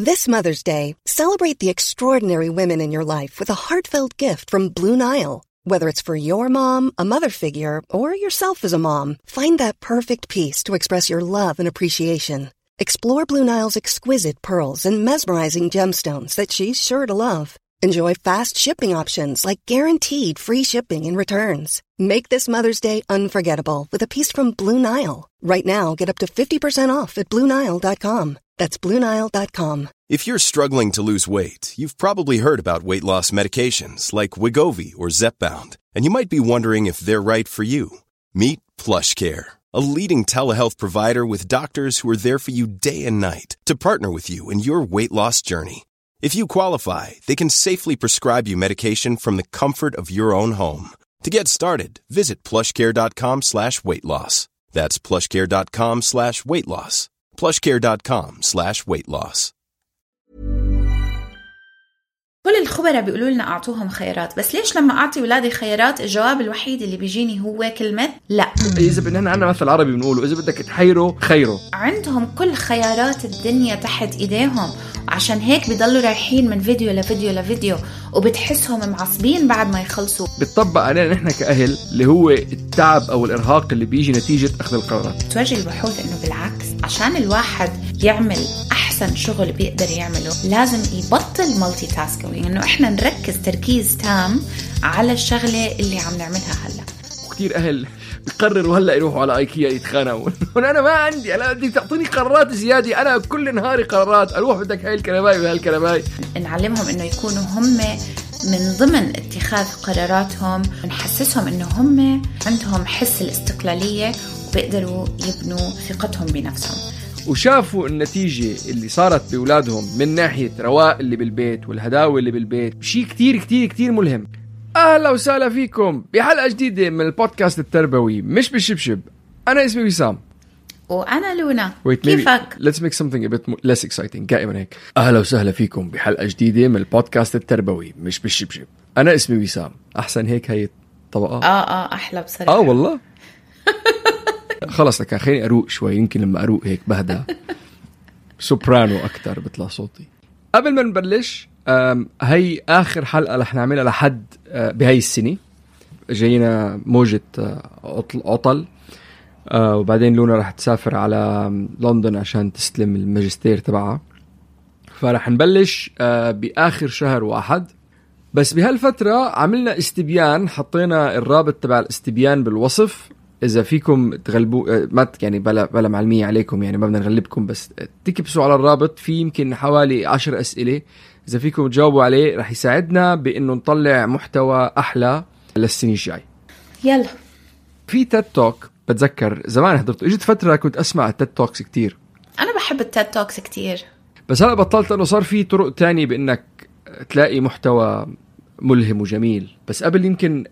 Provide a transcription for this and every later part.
This Mother's Day, celebrate the extraordinary women in your life with a heartfelt gift from Blue Nile. Whether it's for your mom, a mother figure, or yourself as a mom, find that perfect piece to express your love and appreciation. Explore Blue Nile's exquisite pearls and mesmerizing gemstones that she's sure to love. Enjoy fast shipping options like guaranteed free shipping and returns. Make this Mother's Day unforgettable with a piece from Blue Nile. Right now, get up to 50% off at BlueNile.com. That's BlueNile.com. If you're struggling to lose weight, you've probably heard about weight loss medications like Wegovy or Zepbound, and you might be wondering if they're right for you. Meet PlushCare, a leading telehealth provider with doctors who are there for you day and night to partner with you in your weight loss journey. If you qualify, they can safely prescribe you medication from the comfort of your own home. To get started, visit plushcare.com/weightloss. That's plushcare.com/weightloss. plushcare.com/weightloss. كل الخبراء بيقولوا لنا أعطوهم خيارات، بس ليش لما أعطي ولادي خيارات الجواب الوحيد اللي بيجيني هو كلمة لا؟ إذا بدنا عنا مثل عربي بنقوله إذا بدك تحيره خيره. عندهم كل خيارات الدنيا تحت إيديهم، عشان هيك بيضلوا رايحين من فيديو لفيديو لفيديو، وبتحسهم معصبين بعد ما يخلصوا. بتطبق علينا نحن كأهل اللي هو التعب أو الإرهاق اللي بيجي نتيجة أخذ القرارات. توجه البحوث إنه بالعكس، عشان الواحد يعمل أحسن شغل بيقدر يعمله لازم يبطل مالتي تاسكينج، إنه إحنا نركز تركيز تام على الشغلة اللي عم نعملها هلا. وكتير أهل بيقرروا هلا يروحوا على ايكيا يتخانقوا. انا ما عندي، انا بدي تعطيني قرارات زياده، انا كل نهاري قرارات، اروح بدك هاي الكنباي وهاي الكنباي. نعلمهم انه يكونوا هم من ضمن اتخاذ قراراتهم، ونحسسهم انه هم عندهم حس الاستقلاليه وبيقدروا يبنوا ثقتهم بنفسهم. وشافوا النتيجة اللي صارت بأولادهم من ناحية رواق اللي بالبيت والهداوة اللي بالبيت، شيء كتير كتير كتير ملهم. أهلا وسهلا فيكم بحلقة جديدة من البودكاست التربوي مش بالشبشب. أنا اسمي وسام وأنا لونا. كيفك؟ Let's make something a bit less exciting. دائما هيك. أهلا وسهلا فيكم بحلقة جديدة من البودكاست التربوي مش بالشبشب. أنا اسمي وسام. أحسن هيك هي طبقة. أحلى بصراحة. والله. خلص لك خليني أروق شوي، يمكن لما أروق هيك بهدى سوبرانو أكتر بطلع صوتي. قبل ما نبلش، هي آخر حلقة رح نعملها لحد بهاي السنة. جاينا موجة عطل، وبعدين لونا رح تسافر على لندن عشان تستلم الماجستير تبعها، فرح نبلش بآخر شهر 1. بس بهالفترة عملنا استبيان، حطينا الرابط تبع الاستبيان بالوصف. إذا فيكم تغلبوا ما يعني بلا معلمية عليكم، يعني ما بدنا نغلبكم، بس تكبسوا على الرابط، في يمكن حوالي 10 أسئلة. إذا فيكم تجاوبوا عليه رح يساعدنا بإنه نطلع محتوى أحلى للسنة الجاي. يلا. في تيد توك بتذكر زمان حضرته، إجت فترة كنت أسمع التيد توكس كتير. أنا بحب التيد توكس كتير، بس هلأ بطلت، لأنه صار في طرق تانية بإنك تلاقي محتوى ملهم وجميل. بس قبل يمكن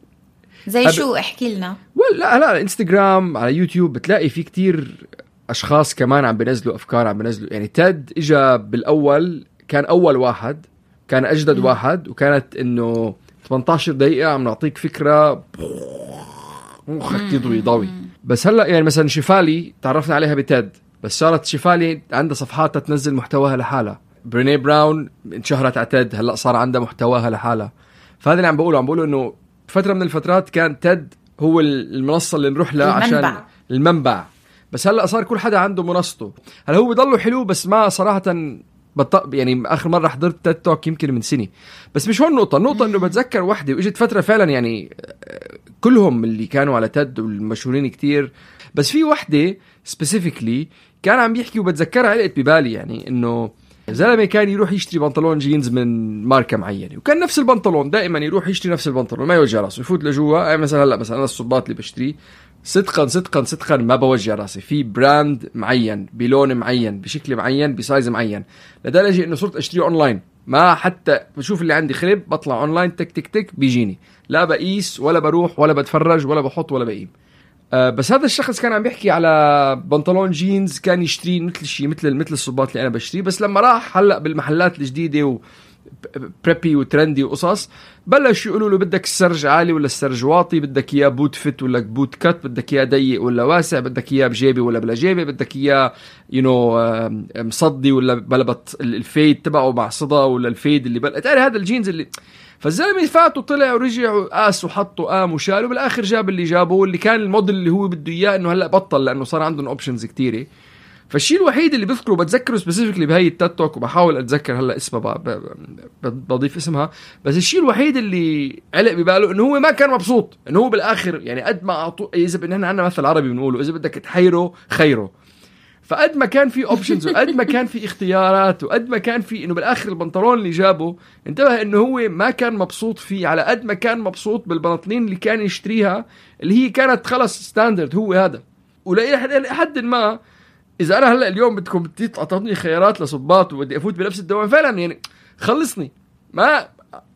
زي شو؟ احكي لنا. لا انستغرام، على يوتيوب بتلاقي في كتير اشخاص كمان عم بينزلوا افكار، عم بينزلوا. يعني تيد اجا بالاول، كان اول واحد، كان اجدد واحد، وكانت انه 18 دقيقة عم نعطيك فكرة مخك يضوي ضوي. بس هلا يعني مثلا شفالي تعرفنا عليها بتيد، بس صارت شفالي عندها صفحات تنزل محتواها لحالها. بريني براون انشهرت على تيد، هلا صار عندها محتواها لحالها. فهذا اللي عم بقوله انه فترة من الفترات كان تيد هو المنصة اللي نروح لها عشان المنبع. بس هلأ صار كل حدا عنده منصته. هل هو بيضله حلو، بس ما صراحة يعني آخر مرة حضرت تيد توك يمكن من سنة. بس مش هون النقطة إنه بتذكر وحدة وإجت فترة فعلا يعني كلهم اللي كانوا على تيد والمشهورين كتير، بس في وحدة specifically كان عم يحكي وبتذكرها علقت ببالي. يعني إنه زلمة كان يروح يشتري بنطلون جينز من ماركة معينة، وكان نفس البنطلون دائما يروح يشتري نفس البنطلون، ما يوجه راسه، يفوت لجوا. مثلا هلا مثلا أنا الصباط اللي بشتري صدقا ما بوجه راسي في براند معين بلون معين بشكل معين بسايز معين، لدرجة إنه صرت أشتريه أونلاين. ما حتى بشوف اللي عندي خرب بطلع أونلاين تك تك تك بيجيني، لا بقيس ولا بروح ولا بتفرج ولا بحط ولا بقيم. بس هذا الشخص كان عم بيحكي على بنطلون جينز كان يشتري مثل الصباط اللي أنا بشتري. بس لما راح هلأ بالمحلات الجديدة بريبي وترندي وقصص، بلشوا يقولوا له بدك السرج عالي ولا السرج واطي، بدك اياه بوت فت ولا بوت كات، بدك اياه ضيق ولا واسع، بدك اياه بجيبه ولا بلا جيبه، بدك اياه مصدي ولا بلبط الفيد تبعه مع صدى ولا الفيد اللي تعرف هذا الجينز اللي. فالزلمه فات وطلع ورجع وقاس وحط وقام وشال، وبالاخر جاب اللي جابه واللي كان الموديل اللي هو بده اياه، انه هلا بطل لانه صار عندهم اوبشنز كتيره. فالشيء الوحيد اللي بذكره بتذكره سبيسيفيكلي بهاي التاتوك، وبحاول اتذكر هلا اسمها بضيف اسمها، بس الشيء الوحيد اللي علق بباله انه هو ما كان مبسوط، انه هو بالاخر يعني قد ما اعطوه، اذا بدنا عندنا مثل عربي بنقوله اذا بدك تحيره خيره، فقد ما كان في اوبشنز وقد ما كان في اختيارات وقد ما كان في انه بالاخر البنطلون اللي جابه انتبه انه هو ما كان مبسوط فيه على قد ما كان مبسوط بالبناطلين اللي كان يشتريها اللي هي كانت خلص ستاندرد هو هذا. ولحد ما اذا انا هلا اليوم بدكم تعطوني خيارات لصباط وبدي افوت بنفس الدوام فعلا يعني خلصني، ما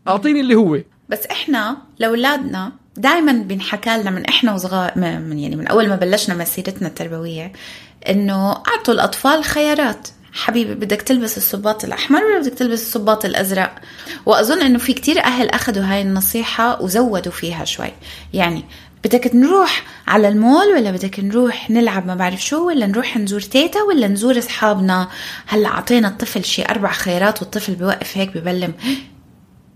اعطيني اللي هو. بس احنا لاولادنا دائما بنحكى لنا من احنا وصغار، من اول ما بلشنا مسيرتنا التربويه، انه اعطوا الاطفال خيارات. حبيبي بدك تلبس الصباط الاحمر ولا بدك تلبس الصباط الازرق؟ واظن انه في كتير اهل اخذوا هاي النصيحه وزودوا فيها شوي. يعني بدك نروح على المول ولا بدك نروح نلعب ما بعرف شو، ولا نروح نزور تيتا ولا نزور اصحابنا؟ هلا اعطينا الطفل شي 4 خيارات والطفل بيوقف هيك ببلم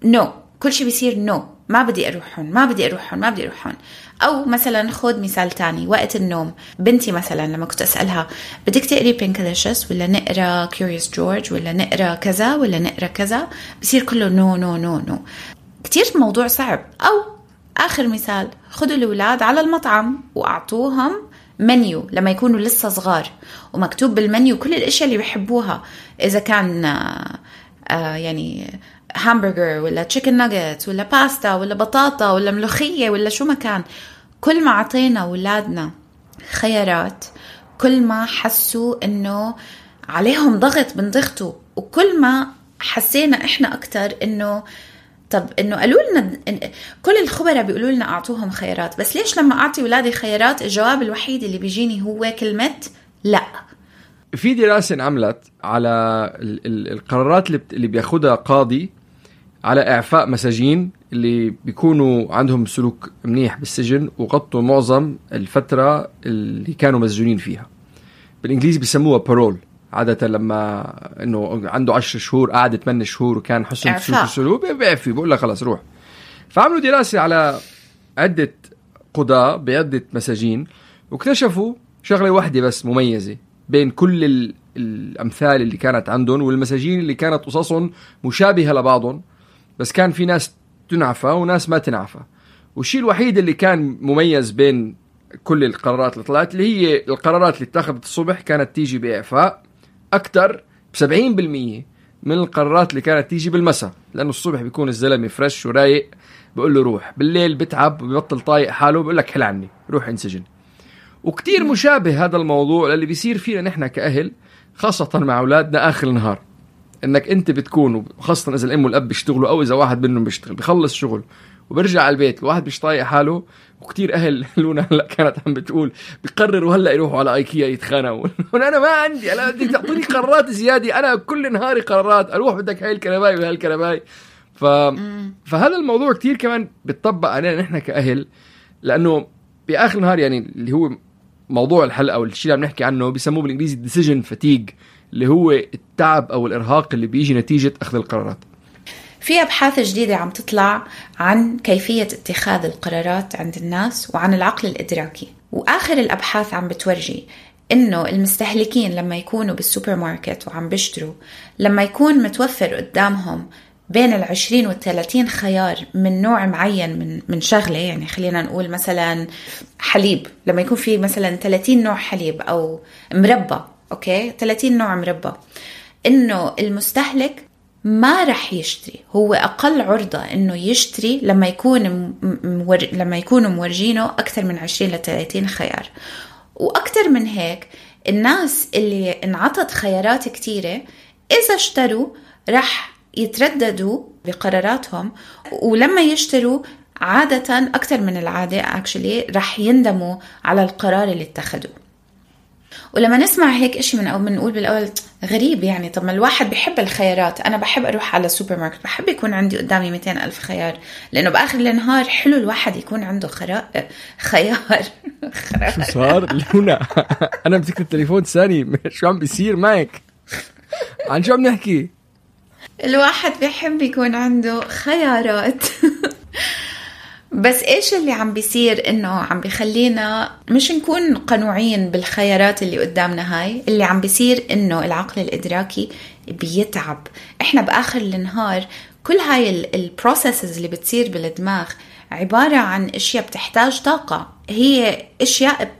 نو، كل شي بيصير نو، ما بدي اروحون ما بدي اروحون ما بدي اروحون. او مثلا خود مثال تاني، وقت النوم بنتي مثلا لما كنت اسالها بدك تقري بينكليشس ولا نقرا كيوريوس جورج ولا نقرا كذا ولا نقرا كذا، بصير كله نو نو نو نو، كتير موضوع صعب. او آخر مثال، خدوا الأولاد على المطعم وأعطوهم منيو لما يكونوا لسه صغار، ومكتوب بالمنيو كل الأشياء اللي بيحبوها، إذا كان يعني هامبرجر ولا تشيكن ناجت ولا باستا ولا بطاطا ولا ملوخية ولا شو ما كان. كل ما عطينا أولادنا خيارات كل ما حسوا إنه عليهم ضغط بنضغطوا، وكل ما حسينا إحنا أكتر إنه طب إنه قالوا لنا كل الخبراء بيقولوا لنا أعطوهم خيارات، بس ليش لما أعطي ولادي خيارات الجواب الوحيد اللي بيجيني هو كلمة لا؟ في دراسة انعملت على القرارات اللي بياخدها قاضي على إعفاء مساجين اللي بيكونوا عندهم سلوك منيح بالسجن وغطوا معظم الفترة اللي كانوا مسجونين فيها. بالإنجليزي بيسموها بارول. عادة لما إنه عنده 10 شهور قعد 8 شهور وكان حسن سلوك السلوك بيعفي، بقول له خلاص روح. فعملوا دراسة على عدة قضاء بعدة مساجين واكتشفوا شغلة واحدة بس مميزة بين كل الأمثال اللي كانت عندهم والمساجين اللي كانت قصصهم مشابهة لبعضهم، بس كان في ناس تنعفى وناس ما تنعفى. والشيء الوحيد اللي كان مميز بين كل القرارات اللي طلعت اللي هي القرارات اللي اتخذت الصبح كانت تيجي بإعفاء أكتر ب70% من القرارات اللي كانت تيجي بالمساء، لأنه الصبح بيكون الزلمة فريش ورايق بقول له روح، بالليل بتعب وبيبطل طايق حاله بقول لك حل عني روح انسجن. وكتير مشابه هذا الموضوع للي بيصير فينا نحن كأهل، خاصة مع أولادنا آخر النهار. إنك أنت بتكون خاصة إذا الأم والأب بيشتغلوا أو إذا واحد منهم بيشتغل بيخلص شغل وبرجع على البيت الواحد مش طايق حاله. وكتير أهل لونا هلا كانت عم بتقول بيقرروا هلا يروحوا على ايكيا يتخانقوا أنا ما عندي، أنا بدك تعطيني قرارات زيادة، أنا كل نهاري قرارات، أروح بدك هاي الكنباي وهاي الكنباي. فهذا الموضوع كتير كمان بتطبق علينا نحن كأهل، لأنه بآخر النهار يعني اللي هو موضوع الحلقة أو الشيء اللي عم نحكي عنه بيسموه بالإنجليزي decision fatigue، اللي هو التعب أو الإرهاق اللي بيجي نتيجة أخذ القرارات. في أبحاث جديدة عم تطلع عن كيفية اتخاذ القرارات عند الناس وعن العقل الإدراكي، وآخر الأبحاث عم بتورجي إنه المستهلكين لما يكونوا بالسوبر ماركت وعم بيشتروا، لما يكون متوفر قدامهم بين 20 و30 خيار من نوع معين من شغلة، يعني خلينا نقول مثلا حليب، لما يكون في مثلا 30 نوع حليب أو مربى، أوكي 30 نوع مربى، إنه المستهلك ما رح يشتري، هو أقل عرضة إنه يشتري لما يكونوا مورجينه أكثر من 20 ل 30 خيار. وأكثر من هيك الناس اللي انعطت خيارات كتيرة إذا اشتروا رح يترددوا بقراراتهم، ولما يشتروا عادة أكثر من العادة رح يندموا على القرار اللي اتخذوه. ولما نسمع هيك إشي من نقول بالأول غريب يعني. طب ما الواحد بيحب الخيارات. أنا بحب أروح على سوبر ماركت، بحب يكون عندي قدامي 200,000 خيار، لأنه بآخر النهار حلو الواحد يكون عنده خيار. شو صار لونا؟ أنا مسكت التليفون ثاني، شو عم بيصير معك؟ عن شو عم نحكي؟ الواحد بيحب يكون عنده خيارات. بس إيش اللي عم بيصير؟ إنه عم بيخلينا مش نكون قنوعين بالخيارات اللي قدامنا. هاي اللي عم بيصير إنه العقل الإدراكي بيتعب. إحنا بآخر النهار كل هاي البروسيسز اللي بتصير بالدماغ عبارة عن أشياء بتحتاج طاقة، هي أشياء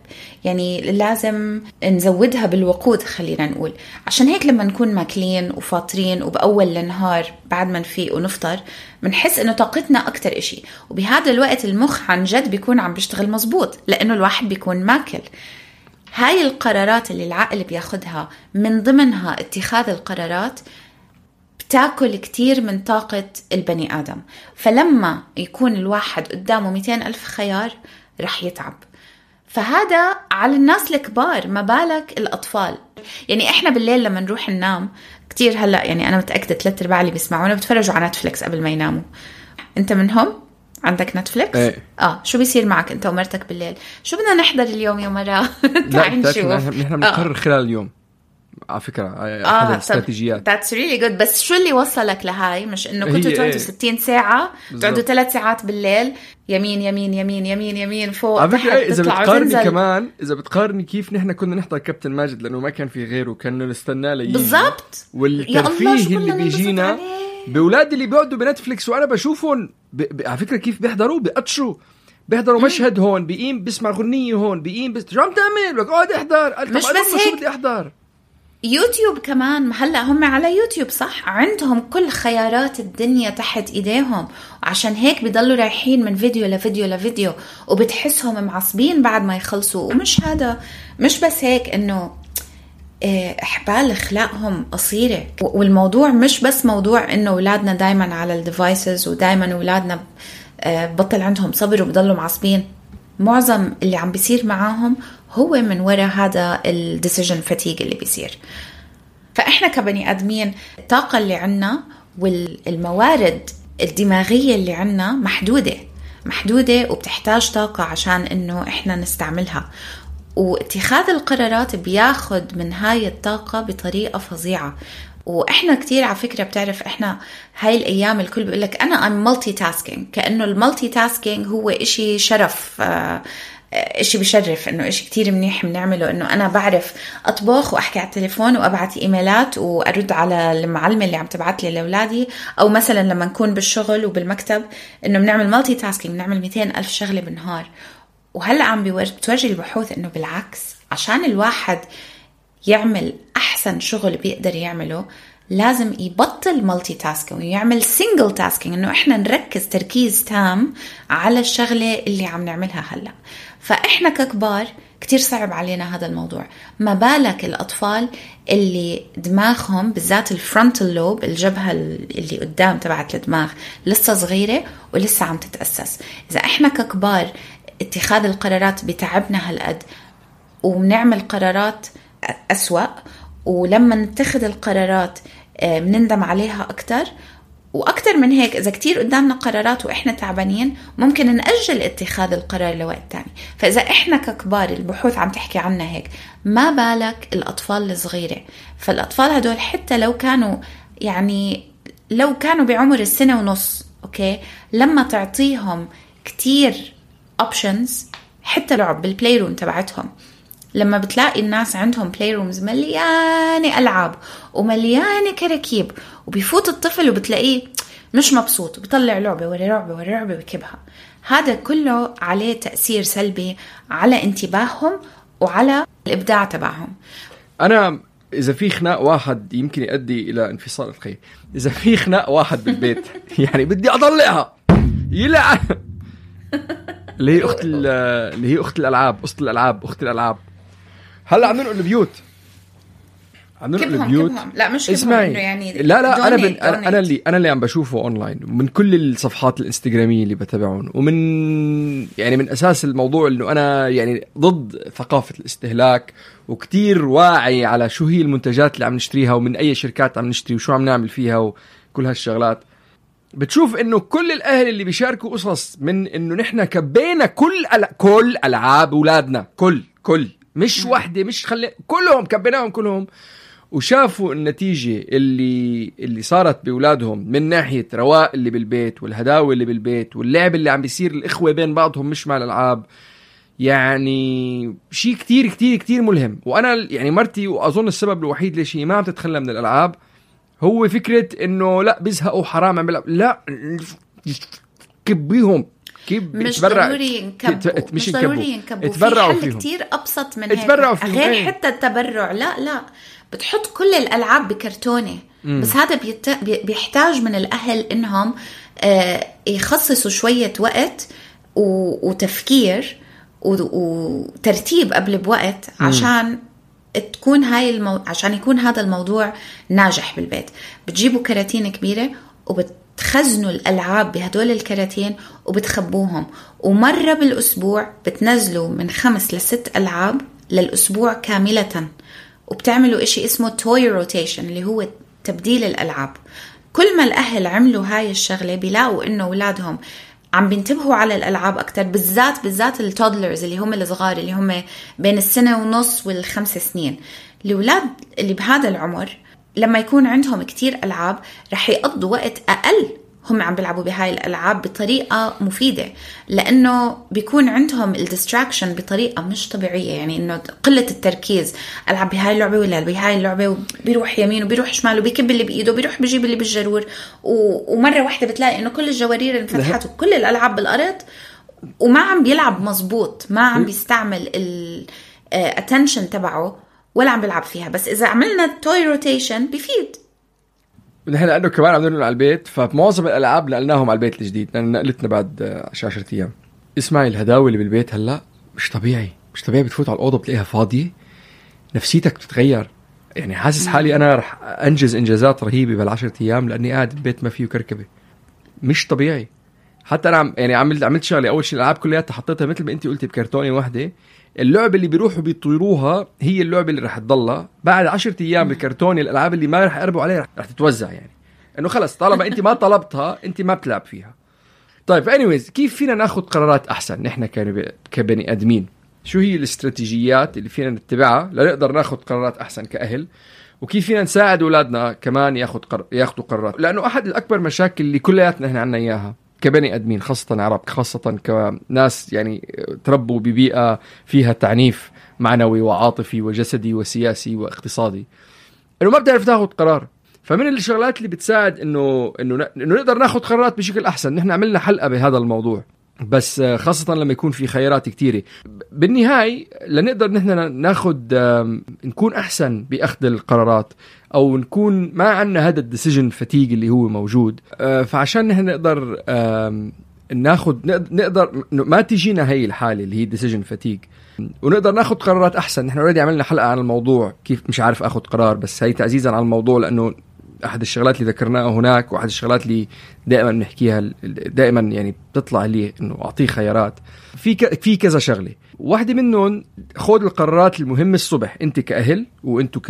يعني لازم نزودها بالوقود خلينا نقول. عشان هيك لما نكون ماكلين وفاطرين وبأول النهار بعد ما نفيق ونفطر بنحس إنه طاقتنا أكتر إشي، وبهذا الوقت المخ عن جد بيكون عم بيشتغل مزبوط لأنه الواحد بيكون ماكل. هاي القرارات اللي العقل بياخدها من ضمنها اتخاذ القرارات بتاكل كتير من طاقة البني آدم. فلما يكون الواحد قدامه 200,000 خيار رح يتعب. فهذا على الناس الكبار، ما بالك الأطفال. يعني إحنا بالليل لما نروح ننام كتير، هلأ يعني أنا متأكدة 3/4 اللي بيسمعونا بتفرجوا على نتفليكس قبل ما يناموا. أنت منهم؟ عندك نتفليكس؟ ايه. شو بيصير معك أنت ومرتك بالليل؟ شو بدنا نحضر اليوم يا مرة؟ تعالي نشوف. نحن بنقرر خلال اليوم على فكرة أحد الاستراتيجيات. That's really good. بس شو اللي وصلك لهاي؟ مش إنه كنتوا تقعدوا 60 ساعة تقعدوا 3 ساعات بالليل يمين يمين يمين يمين يمين فوق على تحت فكرة إذا بتقارني تنزل. كمان إذا بتقارني كيف نحن كنا نحضر كابتن ماجد لأنه ما كان في غيره، كنا نستناه ليجي بالضبط. والترفيه اللي بيجينا بأولادي اللي بيقعدوا بنتفليكس وأنا بشوفهم على فكرة كيف بيحضروا بيحضروا مشهد هون بيقيم بيسمع غنية هون بيقيم شو عم تعمل؟ اقعد احضر. مش بس هيك، بدي احضر يوتيوب كمان. هلا هم على يوتيوب صح، عندهم كل خيارات الدنيا تحت ايديهم، وعشان هيك بيضلوا رايحين من فيديو لفيديو لفيديو وبتحسهم معصبين بعد ما يخلصوا. ومش هذا، مش بس هيك، انه احبال اخلاقهم قصيرة. والموضوع مش بس موضوع انه اولادنا دايما على الديفايسز ودايما اولادنا بطل عندهم صبر وبضلوا معصبين. معظم اللي عم بيصير معاهم هو من وراء هذا الديسيجن فاتيج اللي بيصير. فإحنا كبني آدمين الطاقة اللي عنا والموارد الدماغية اللي عنا محدودة وبتحتاج طاقة عشان إنه إحنا نستعملها. واتخاذ القرارات بياخد من هاي الطاقة بطريقة فظيعة. وإحنا كتير على فكرة بتعرف إحنا هاي الأيام الكل بيقولك أنا I'm multitasking، كأنه المالتي-تاسكينج هو إشي شرف، إشي بشرف، إنه إشي كتير منيح بنعمله. إنه أنا بعرف أطبخ وأحكي على التليفون وأبعت إيميلات وأرد على المعلمة اللي عم تبعت لي لأولادي، أو مثلا لما نكون بالشغل وبالمكتب إنه بنعمل مالتي-تاسكينج، بنعمل 200,000 شغلة بالنهار. وهلأ عم بتورجي البحوث إنه بالعكس، عشان الواحد يعمل أحسن شغل بيقدر يعمله لازم يبطل مالتي تاسكينج ويعمل سينجل تاسكينج، إنه إحنا نركز تركيز تام على الشغلة اللي عم نعملها هلأ. فإحنا ككبار كتير صعب علينا هذا الموضوع، ما بالك الأطفال اللي دماغهم بالذات الفرونتال لوب، الجبهة اللي قدام تبعت الدماغ لسه صغيرة ولسه عم تتأسس. إذا إحنا ككبار اتخاذ القرارات بتعبنا هالقد وبنعمل قرارات أسوأ، ولما نتخذ القرارات بنندم عليها أكتر. وأكتر من هيك، إذا كتير قدامنا قرارات وإحنا تعبانين ممكن نأجل اتخاذ القرار لوقت تاني. فإذا إحنا ككبار البحوث عم تحكي عنا هيك، ما بالك الأطفال الصغيرة. فالأطفال هدول حتى لو كانوا بعمر 1.5 سنة، أوكي، لما تعطيهم كتير options، حتى لعب بالبلاي روم تبعتهم، لما بتلاقي الناس عندهم بلاي رومز مليانة ألعاب ومليانة كراكيب، وبيفوت الطفل وبتلاقيه مش مبسوط وبيطلع لعبة ورا لعبة ورا لعبة ويكبها، هذا كله عليه تأثير سلبي على انتباههم وعلى الإبداع تبعهم. أنا إذا في خناق واحد يمكن يؤدي إلى انفصال الخير، إذا في خناق واحد بالبيت يعني بدي أطلعها يلعن اللي هي أخت الألعاب، أخت الألعاب. هلا عم ننقل البيوت، كبهم. لا مش كبهم إنه يعني لا أنا اللي عم بشوفه أونلاين من كل الصفحات الإنستغرامية اللي بتابعهم، ومن يعني من أساس الموضوع إنه أنا يعني ضد ثقافة الاستهلاك، وكتير واعي على شو هي المنتجات اللي عم نشتريها ومن أي شركات عم نشتري وشو عم نعمل فيها وكل هالشغلات. بتشوف إنه كل الأهل اللي بيشاركوا قصص من إنه نحن كبينا كل ألعاب أولادنا، كل مش واحدة، مش كلهم كبيناهم كلهم، وشافوا النتيجة اللي صارت بأولادهم من ناحية رواق اللي بالبيت والهداوة اللي بالبيت واللعب اللي عم بيصير الإخوة بين بعضهم مش مع الألعاب. يعني شيء كتير كتير كتير ملهم. وأنا يعني مرتي، وأظن السبب الوحيد ليش هي ما عم تتخلى من الألعاب هو فكرة إنه لا بيزهقوا حرام عم بلعب، لا كبيهم مش ضروري ينكبوا، مش ضروري ينكبوا، في حل كتير أبسط من هيك غير حتى التبرع. لا بتحط كل الألعاب بكرتونة، بس هذا بيحتاج من الأهل إنهم يخصصوا شوية وقت وتفكير وترتيب قبل بوقت عشان تكون عشان يكون هذا الموضوع ناجح بالبيت. بتجيبوا كراتين كبيرة وبتخزنوا الألعاب بهدول الكراتين وبتخبوهم، ومرة بالأسبوع بتنزلوا من 5 ل 6 ألعاب للأسبوع كاملة، وبتعملوا إشي اسمه توي روتيشن اللي هو تبديل الألعاب. كل ما الأهل عملوا هاي الشغلة بيلاقوا إنه أولادهم عم بينتبهوا على الألعاب أكتر، بالذات التودلرز اللي هم الصغار اللي هم بين 1.5 و5 سنين. الأولاد اللي بهذا العمر لما يكون عندهم كتير ألعاب رح يقضوا وقت أقل هم عم بيلعبوا بهاي الألعاب بطريقة مفيدة، لأنه بيكون عندهم الديستراكشن بطريقة مش طبيعية. يعني إنه قلة التركيز، ألعب بهاي اللعبة ولا بهاي اللعبة، وبيروح يمين وبيروح شمال وبيكب اللي بإيده وبيروح بيجيب اللي بالجرور، ومرة واحدة بتلاقي إنه كل الجوارير انفتحت وكل الألعاب بالأرض، وما عم بيلعب مزبوط، ما عم بيستعمل الاتنشن تبعه ولا عم بيلعب فيها. بس إذا عملنا توي روتيشن بيفيد. نحن لأنه كمان عم ننقل على البيت، فمعظم الألعاب نقلناهم على البيت الجديد لأن نقلتنا بعد 10 أيام. اسمعي الهداوة اللي بالبيت هلأ مش طبيعي. بتفوت على الأوضة بتلاقيها فاضية، نفسيتك بتتغير. يعني حاسس حالي أنا رح أنجز إنجازات رهيبة بال10 أيام لأني قاعد بالبيت ما فيه كركبة. مش طبيعي. حتى أنا عملت شغلة. أول شيء الألعاب كلها حطيتها مثل ما أنت قلتي بكرتونة واحدة. اللعبة اللي بيروحوا بيطيروها هي اللعبة اللي رح تضلها بعد 10 أيام بالكرتونة. الألعاب اللي ما رح يقربوا عليها رح تتوزع، يعني إنه خلص طالما أنت ما طلبتها أنت ما بتلعب فيها. طيب anyways، كيف فينا ناخد قرارات أحسن نحن كبني أدمين؟ شو هي الاستراتيجيات اللي فينا نتبعها لنقدر ناخد قرارات أحسن كأهل؟ وكيف فينا نساعد أولادنا كمان ياخدوا قرارات؟ لأنه أحد الأكبر مشاكل اللي كلياتنا إحنا عنا إياها كبني أدمين، خاصة عرب، خاصة كناس يعني تربوا ببيئة فيها تعنيف معنوي وعاطفي وجسدي وسياسي واقتصادي، إنه ما بتعرف تاخد قرار. فمن الشغلات اللي بتساعد إنه نقدر ناخد قرارات بشكل أحسن. نحن عملنا حلقة بهذا الموضوع، بس خاصة لما يكون في خيارات كتيرة. بالنهاية لنقدر نحن ناخد نكون أحسن بأخذ القرارات، أو نكون ما عنا هذا الديسيجن فتيج اللي هو موجود. فعشان نحن نقدر نقدر ما تجينا هاي الحالة اللي هي ديسيجن فتيج، ونقدر ناخد قرارات أحسن. نحن اوريدي عملنا حلقة عن الموضوع كيف مش عارف أخذ قرار، بس هاي تعزيزا على الموضوع لأنه أحد الشغلات اللي ذكرناها هناك، وأحد الشغلات اللي دائما نحكيها دائما يعني بتطلع لي إنه أعطيه خيارات في كذا شغلة. واحدة منهم خذ القرارات المهمة الصبح. أنت كأهل وأنتوا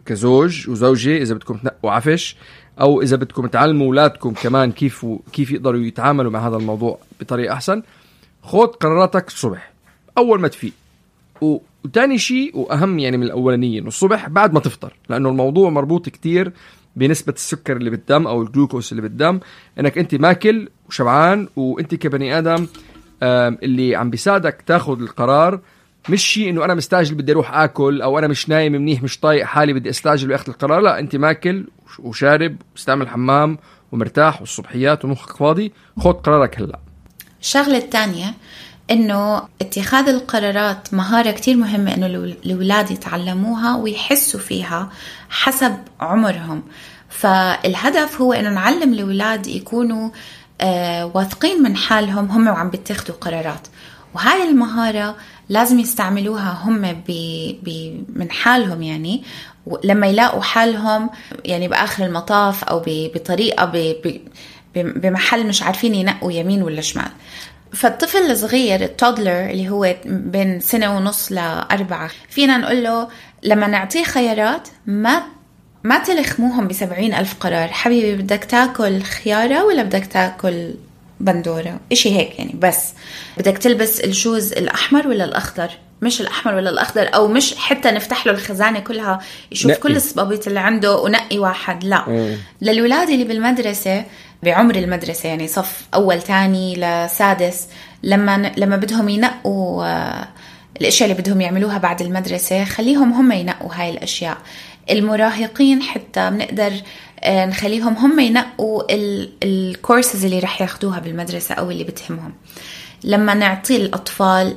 كزوج وزوجة، إذا بدكم تنقوا عفش أو إذا بدكم تعلموا أولادكم كمان كيف يقدروا يتعاملوا مع هذا الموضوع بطريقة أحسن، خذ قراراتك الصبح أول ما تفيق. وتاني شيء وأهم يعني من الأولانية إنه الصبح بعد ما تفطر، لأنه الموضوع مربوط كتير بنسبة السكر اللي بالدم أو الجلوكوز اللي بالدم. إنك أنت ماكل وشبعان، وأنت كبني آدم اللي عم بيساعدك تاخد القرار مش شيء إنه أنا مستعجل بدي أروح آكل، أو أنا مش نايم منيح مش طايق حالي بدي أستعجل بأخذ القرار. لا، أنت ماكل وشارب واستعمل حمام ومرتاح والصبحيات ومخك فاضي، خد قرارك هلأ. الشغلة الثانية إنه اتخاذ القرارات مهارة كتير مهمة إنه الأولاد يتعلموها ويحسوا فيها حسب عمرهم. فالهدف هو إنه نعلم الأولاد يكونوا واثقين من حالهم هم وعم بيتخذوا قرارات، وهاي المهارة لازم يستعملوها هم من حالهم، يعني لما يلاقوا حالهم يعني بآخر المطاف أو بطريقة بمحل مش عارفين ينقوا يمين ولا شمال. فالطفل الصغير التودلر اللي هو بين 1.5 ل4 فينا نقول له لما نعطيه خيارات ما تلخموهم ب70,000 قرار. حبيبي بدك تاكل خيارة ولا بدك تاكل بندورة، إشي هيك يعني، بس بدك تلبس الشوز الأحمر ولا الأخضر، مش الأحمر ولا الأخضر، أو مش حتى نفتح له الخزانة كلها يشوف نقي كل الصبابيط اللي عنده ونقي واحد. لا. للولاد اللي بالمدرسة بعمر المدرسة يعني صف أول تاني لسادس، لما بدهم ينقوا الأشياء اللي بدهم يعملوها بعد المدرسة خليهم هم ينقوا هاي الأشياء. المراهقين حتى بنقدر نخليهم هم ينقوا الكورسز اللي رح ياخدوها بالمدرسة أو اللي بتهمهم. لما نعطي الأطفال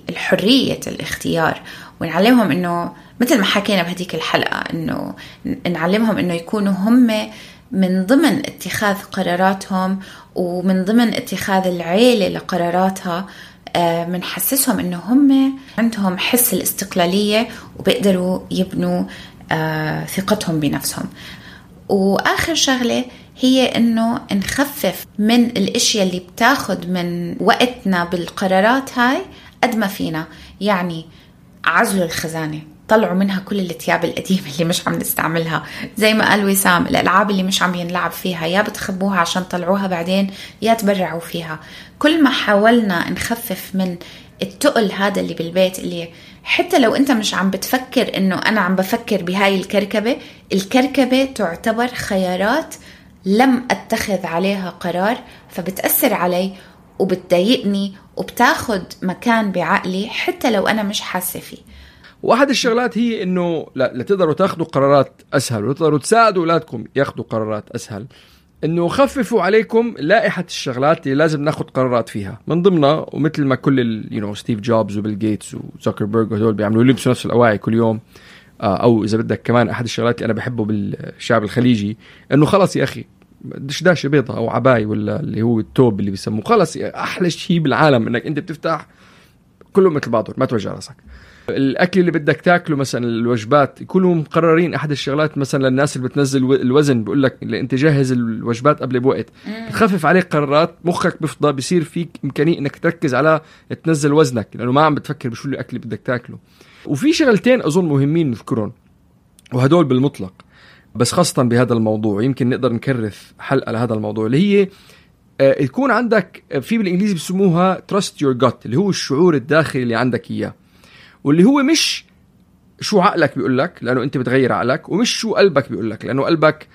الحرية الاختيار ونعلمهم إنه مثل ما حكينا بهديك الحلقة، إنه نعلمهم إنه يكونوا هم من ضمن اتخاذ قراراتهم ومن ضمن اتخاذ العيلة لقراراتها، منحسسهم إنه هم عندهم حس الاستقلالية وبيقدروا يبنوا ثقتهم بنفسهم. وآخر شغلة هي إنه نخفف من الأشياء اللي بتاخد من وقتنا بالقرارات هاي قد ما فينا. يعني عزلوا الخزانة، طلعوا منها كل الثياب القديمة اللي مش عم نستعملها، زي ما قال وسام الألعاب اللي مش عم ينلعب فيها يا بتخبوها عشان طلعوها بعدين يا تبرعوا فيها. كل ما حاولنا نخفف من التقل هذا اللي بالبيت، اللي حتى لو أنت مش عم بتفكر إنه أنا عم بفكر بهاي الكركبة تعتبر خيارات لم أتخذ عليها قرار، فبتأثر علي وبتضايقني وبتاخد مكان بعقلي حتى لو أنا مش حاسة فيه. واحد الشغلات هي إنه لتقدروا تاخدوا قرارات أسهل وتقدروا تساعدوا أولادكم ياخدوا قرارات أسهل، إنه خففوا عليكم لائحة الشغلات اللي لازم ناخد قرارات فيها من ضمنها. ومثل ما كل ستيف جوبز وبيل جيتس وزوكربيرج وهدول بيعملوا يلبسوا نفس الأواعي كل يوم. أو إذا بدك كمان أحد الشغلات اللي أنا بحبه بالشعب الخليجي إنه خلص يا أخي دشداشة بيضة أو عباي ولا اللي هو التوب اللي بيسموه، خلص أحلى شيء بالعالم إنك أنت بتفتح كلهم مثل بعضهم، ما توجع راسك. الأكل اللي بدك تاكله مثلا الوجبات يكونوا مقررين. أحد الشغلات مثلا للناس اللي بتنزل الوزن بقول لك اللي أنت جاهز الوجبات قبل بوقت، بتخفف عليك قرارات، مخك بيفضى، بيصير فيك إمكانية إنك تركز على تنزل وزنك لأنه ما عم بتفكر بشو الأكل اللي بدك تاكله. وفي شغلتين أظن مهمين نذكرهم وهدول بالمطلق، بس خاصة بهذا الموضوع يمكن نقدر نكرف حلقة لهذا الموضوع، اللي هي يكون عندك في بالإنجليزي بيسموها trust your gut، اللي هو الشعور الداخلي اللي عندك إياه، واللي هو مش شو عقلك بيقولك لأنه أنت بتغير عقلك، ومش شو قلبك بيقولك لأنه قلبك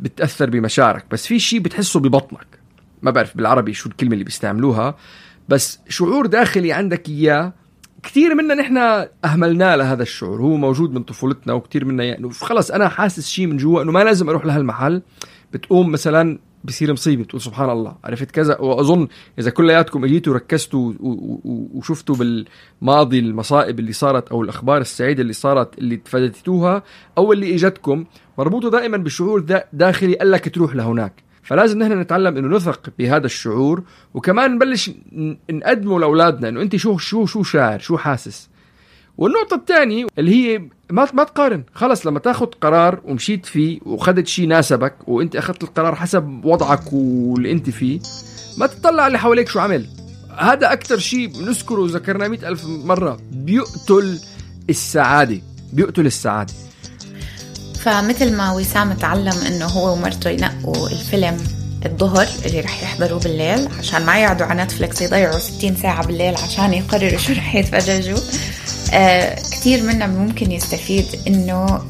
بتأثر بمشاعرك، بس في شيء بتحسه ببطنك، ما بعرف بالعربي شو الكلمة اللي بيستعملوها، بس شعور داخلي عندك إياه. كتير منا نحن أهملنا لهذا الشعور، هو موجود من طفولتنا، وكتير منا يعني خلص أنا حاسس شيء من جوا أنه ما لازم أروح لهالمحل. بتقوم مثلا بصير مصيبة بتقول سبحان الله عرفت كذا. وأظن إذا كلياتكم اجيتوا ركزتوا وشفتوا بالماضي المصائب اللي صارت أو الأخبار السعيدة اللي صارت اللي تفادتوها أو اللي إجتكم، مربوطة دائما بشعور داخلي قال لك تروح لهناك. فلازم نحن نتعلم إنه نثق بهذا الشعور، وكمان نبلش نقدمه لأولادنا إنه أنت شو شاعر، شو حاسس. والنقطة الثانية اللي هي ما تقارن. خلص لما تاخد قرار ومشيت فيه وخدت شيء ناسبك وانت اخذت القرار حسب وضعك واللي انت فيه، ما تطلع اللي حواليك شو عمل. هذا اكتر شيء نذكره وذكرناه 100,000 مرة، بيقتل السعادة. فمثل ما وسام تعلم انه هو ومرته ينقوا الفيلم الظهر اللي رح يحضروه بالليل عشان ما يقعدوا على نتفليكس يضيعوا 60 ساعة بالليل عشان يقرروا شو رح يتفرجوا، كتير منا ممكن يستفيد إنه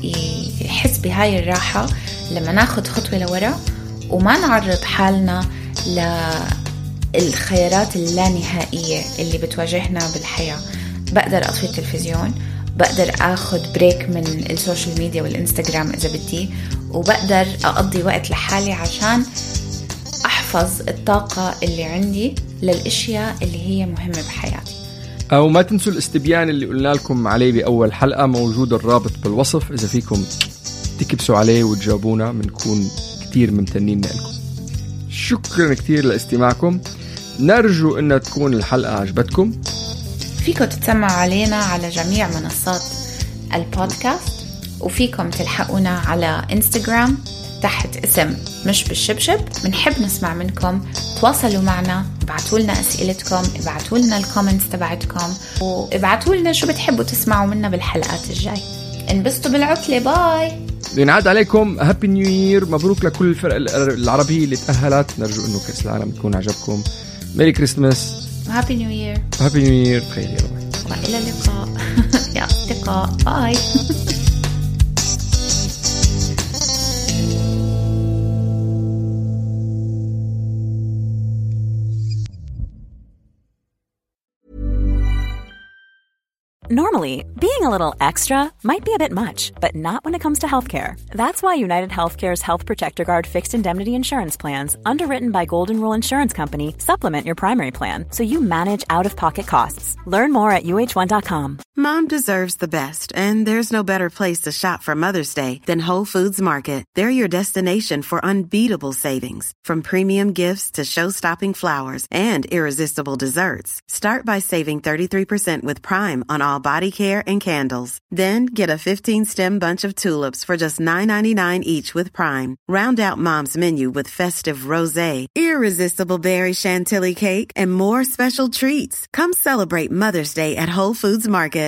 يحس بهاي الراحة لما ناخد خطوة لورا وما نعرض حالنا للخيارات اللانهائية اللي بتواجهنا بالحياة. بقدر أطفي التلفزيون، بقدر أخد بريك من السوشيال ميديا والإنستغرام إذا بدي، وبقدر أقضي وقت لحالي عشان أحفظ الطاقة اللي عندي للأشياء اللي هي مهمة بحياتي. أو ما تنسوا الاستبيان اللي قلنا لكم عليه بأول حلقة، موجود الرابط بالوصف، إذا فيكم تكبسوا عليه وتجاوبونا بنكون كتير ممتنين لكم. شكرا كتير لاستماعكم. نرجو أن تكون الحلقة عجبتكم. فيكم تتسمعوا علينا على جميع منصات البودكاست، وفيكم تلحقونا على انستغرام تحت اسم مش بالشبشب. بنحب نسمع منكم، تواصلوا معنا، ابعتوا لنا أسئلتكم، ابعتوا لنا الكومنتس تبعتكم، وابعتوا لنا شو بتحبوا تسمعوا منا بالحلقات الجاي. انبسطوا بالعطلة. باي. ينعاد عليكم هابي نيو يير. مبروك لكل الفرق العربية اللي تأهلت. نرجو انه كأس العالم يكون عجبكم. ميري كريسماس. هابي نيو يير. هابي نيو يير. بخير يا رب. وإلى اللقاء. يا أصدقاء. باي. Normally, being a little extra might be a bit much, but not when it comes to healthcare. That's why United Healthcare's Health Protector Guard fixed indemnity insurance plans, underwritten by Golden Rule Insurance Company, supplement your primary plan so you manage out-of-pocket costs. Learn more at uh1.com. Mom deserves the best, and there's no better place to shop for Mother's Day than Whole Foods Market. They're your destination for unbeatable savings, from premium gifts to show-stopping flowers and irresistible desserts. Start by saving 33% with Prime on all body care and candles. Then get a 15-stem bunch of tulips for just $9.99 each with Prime. Round out Mom's menu with festive rosé, irresistible berry chantilly cake, and more special treats. Come celebrate Mother's Day at Whole Foods Market.